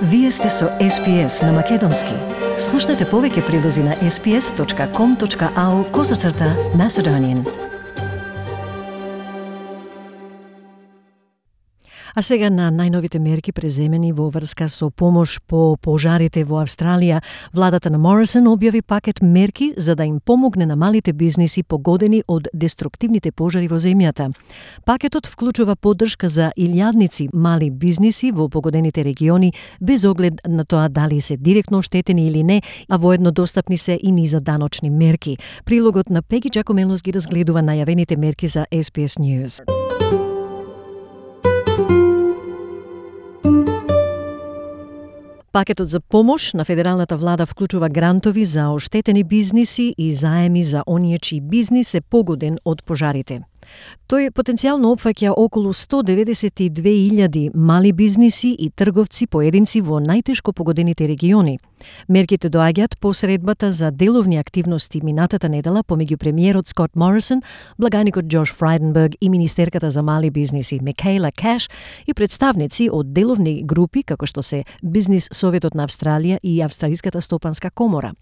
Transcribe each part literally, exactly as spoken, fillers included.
Вие сте со Ес Пи Ес на Македонски. Слушнете повеќе прилози на ес пи ес точка ком точка ау козацрта Macedonian. А сега на најновите мерки преземени во врска со помош по пожарите во Австралија, владата на Морисон објави пакет мерки за да им помогне на малите бизниси погодени од деструктивните пожари во земјата. Пакетот вклучува поддршка за илјадници мали бизниси во погодените региони, без оглед на тоа дали се директно оштетени или не, а воедно достапни се и низа даночни мерки. Прилогот на Пеги Джакомелос ги разгледува најавените мерки за Ес Пи Ес News. Пакетот за помош на федералната влада вклучува грантови за оштетени бизниси и заеми за оние чии бизнис е погоден од пожарите. Тој потенцијално опфаќа околу сто деветдесет и две илјади мали бизниси и трговци поединци во најтешко погодените региони. Мерките доаѓаат по средбата за деловни активности минатата недела помеѓу премиерот Скот Морисон, благаникот Џош Фрајденберг и министерката за мали бизниси Микаела Кеш и представници од деловни групи како што се Бизнис Советот на Австралија и Австралиската стопанска комора.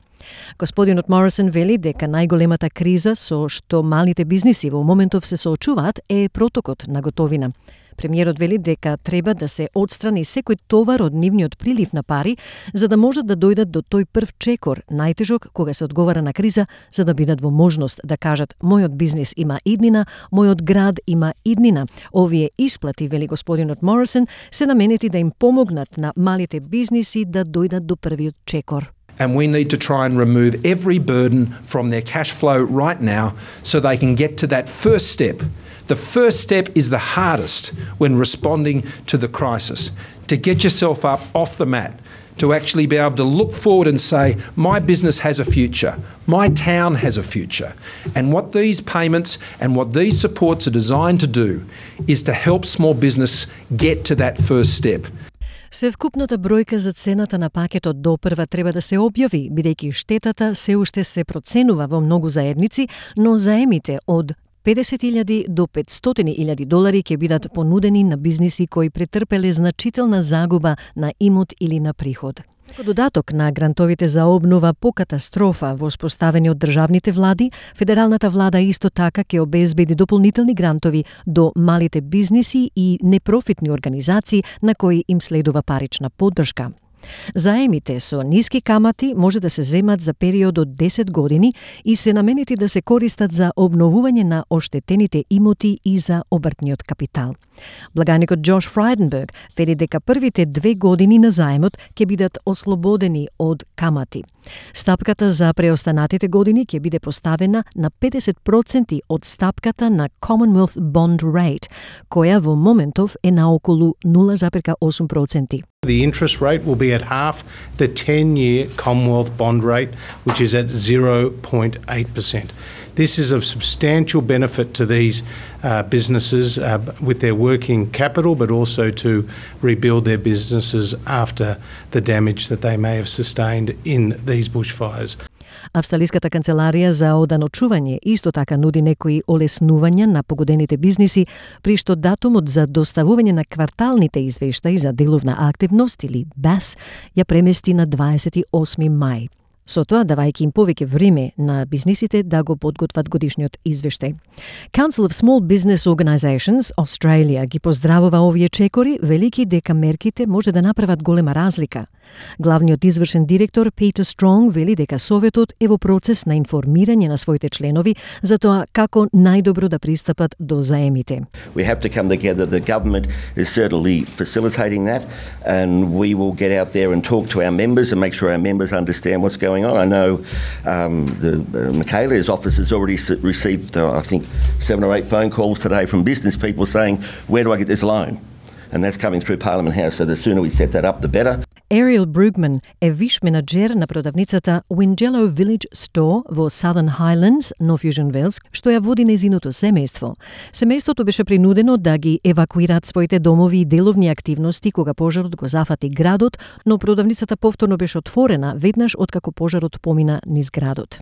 Господинот Морисон вели дека најголемата криза со што малите бизниси во моментов се соочуваат е протокот на готовина. Премиерот вели дека треба да се отстрани секој товар од нивниот прилив на пари, за да можат да дојдат до тој прв чекор, најтежок кога се одговара на криза, за да бидат во можност да кажат мојот бизнис има иднина, мојот град има иднина. Овие исплати, вели господинот Морисон, се наменети да им помогнат на малите бизниси да дојдат до првиот чекор. And we need to try and remove every burden from their cash flow right now so they can get to that first step. The first step is the hardest when responding to the crisis. To get yourself up off the mat, to actually be able to look forward and say, my business has a future, my town has a future. And what these payments and what these supports are designed to do is to help small business get to that first step. Севкупната бројка за цената на пакетот допрва треба да се објави, бидејќи штетата се уште се проценува во многу заедници, но заемите од педесет илјади до петстотини илјади долари ќе бидат понудени на бизниси кои претрпеле значителна загуба на имот или на приход. Како додаток на грантовите за обнова по катастрофа воспоставени од државните влади, федералната влада исто така ќе обезбеди дополнителни грантови до малите бизниси и непрофитни организации на кои им следува парична поддршка. Заемите со ниски камати може да се земат за период од десет години и се наменети да се користат за обновување на оштетените имоти и за обртниот капитал. Благаникот Џош Фрајденберг вели дека првите две години на заемот ќе бидат ослободени од камати. Стапката за преостанатите години ќе биде поставена на педесет проценти од стапката на Commonwealth Bond Rate, која во моментов е на околу нула зарез осум проценти. The interest rate will be at half the ten-year Commonwealth bond rate, which is at zero point eight percent. This is of substantial benefit to these uh, businesses uh, with their working capital, but also to rebuild their businesses after the damage that they may have sustained in these bushfires. Австралиската канцеларија за оданочување исто така нуди некои олеснувања на погодените бизниси, при што датумот за доставување на кварталните извештаи за деловна активност или Б А С ја премести на дваесет и осми мај. Со тоа давајќи им повеќе време на бизнисите да го подготват годишниот извештај. Council of Small Business Organizations Australia ги поздравува овие чекори, велики дека мерките може да направат голема разлика. Главниот извршен директор Питер Стронг вели дека Советот е во процес на информирање на своите членови за тоа како најдобро да пристапат до заемите. We have to come together. The government is certainly facilitating that, and we will get out there and talk to our members and make sure our members understand what's going on. I know um, the uh, Michaela's office has already s- received, uh, I think, seven or eight phone calls today from business people saying, where do I get this loan? And that's coming through Parliament House, so the sooner we set that up, the better. Ariel Brugman е виш менаџер на продавницата Wingello Village Store во Southern Highlands, North Fusion Wales, што ја води незиното семејство. Семејството беше принудено да ги евакуираат своите домови и деловни активности кога пожарот го зафати градот, но продавницата повторно беше отворена веднаш откако пожарот помина низ градот.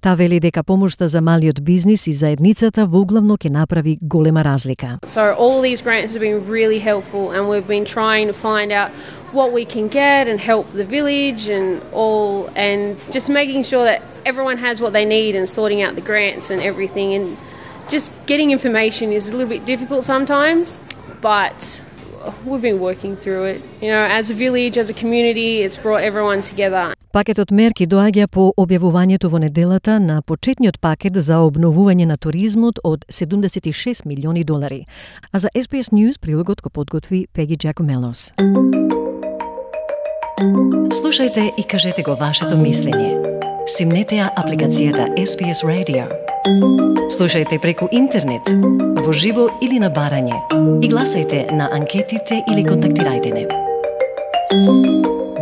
Та вели дека помошта за малиот бизнис и заедницата воглавно ќе направи голема разлика. So all these grants have been really helpful and we've been trying to find out what we can get and help the village and all, and just making sure that everyone has what they need and sorting out the grants and everything. And just getting information is a little bit difficult sometimes, but we've been working through it. You know, as a village, as a community, it's brought everyone together. Пакетот мерки доаѓа по објавувањето во неделата на почетниот пакет за обновување на туризмот од седумдесет и шест милиони долари. А за Ес Би Ес News прилогот го подготви Пеги Джакомелос. Слушајте и кажете го вашето мислење. Симнете ја апликацијата Ес Би Ес Radio. Слушајте преку интернет, во живо или на барање. И гласајте на анкетите или контактирајте не.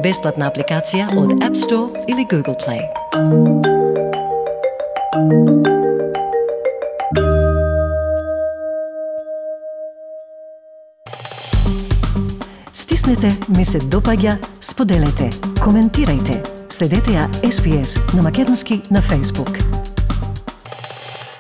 Бесплатна апликација од App Store или Google Play. Стиснете, ми се допаѓа, споделете, коментирајте. Следете ја Ес Би Ес на македонски на Facebook.